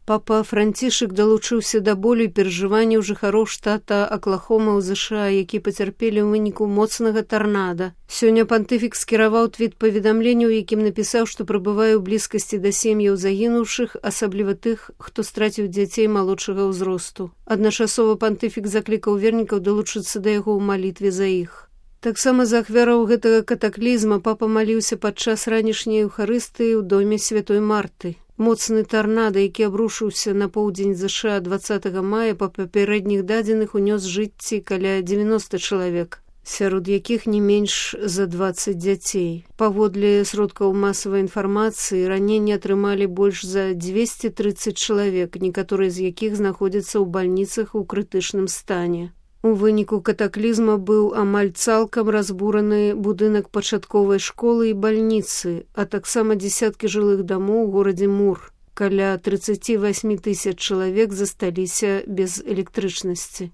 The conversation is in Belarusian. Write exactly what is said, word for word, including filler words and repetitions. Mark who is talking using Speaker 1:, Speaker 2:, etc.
Speaker 1: Папа Францішак далучыўся да болю і перажыванняў жыхароў штата Аклахома ў ЗША, які пацярпелі ў выніку моцнага тарнада. Сёння пантыфік скіраваў твіт паведамленняў, якім напісаў, што прабывае ў блізкасці да сем'яў загінуўшых, асабліва тых, хто страціў дзяцей малодшага ўзросту. Адначасова пантыфік заклікаў вернікаў далучыцца да яго ў малітве за іх. Таксама за ахвяраў гэтага катаклізма папа маліўся падчас ранішняй эўхарыстыі ў доме святой Марты. Моцны тарнада, які абрушыўся на поўдзень ЗША дваццатага мая, па папярэдніх дадзеных унёс жыцці каля дзевяноста чалавек, сярод якіх не менш за дваццаць дзяцей. Паводле сродкаў масавай інфармацыі, раненні атрымалі больш за дзвесце трыццаць чалавек, некаторыя з якіх знаходзяцца ў бальніцах у крытычным стане. У выніку катаклізма быў амаль цалкам разбураны будынак пачатковай школы і бальніцы, а таксама дзесяткі жылых дамоў у горадзе Мур. Каля трыццаць восемь тысяч чалавек засталіся без электрычнасці.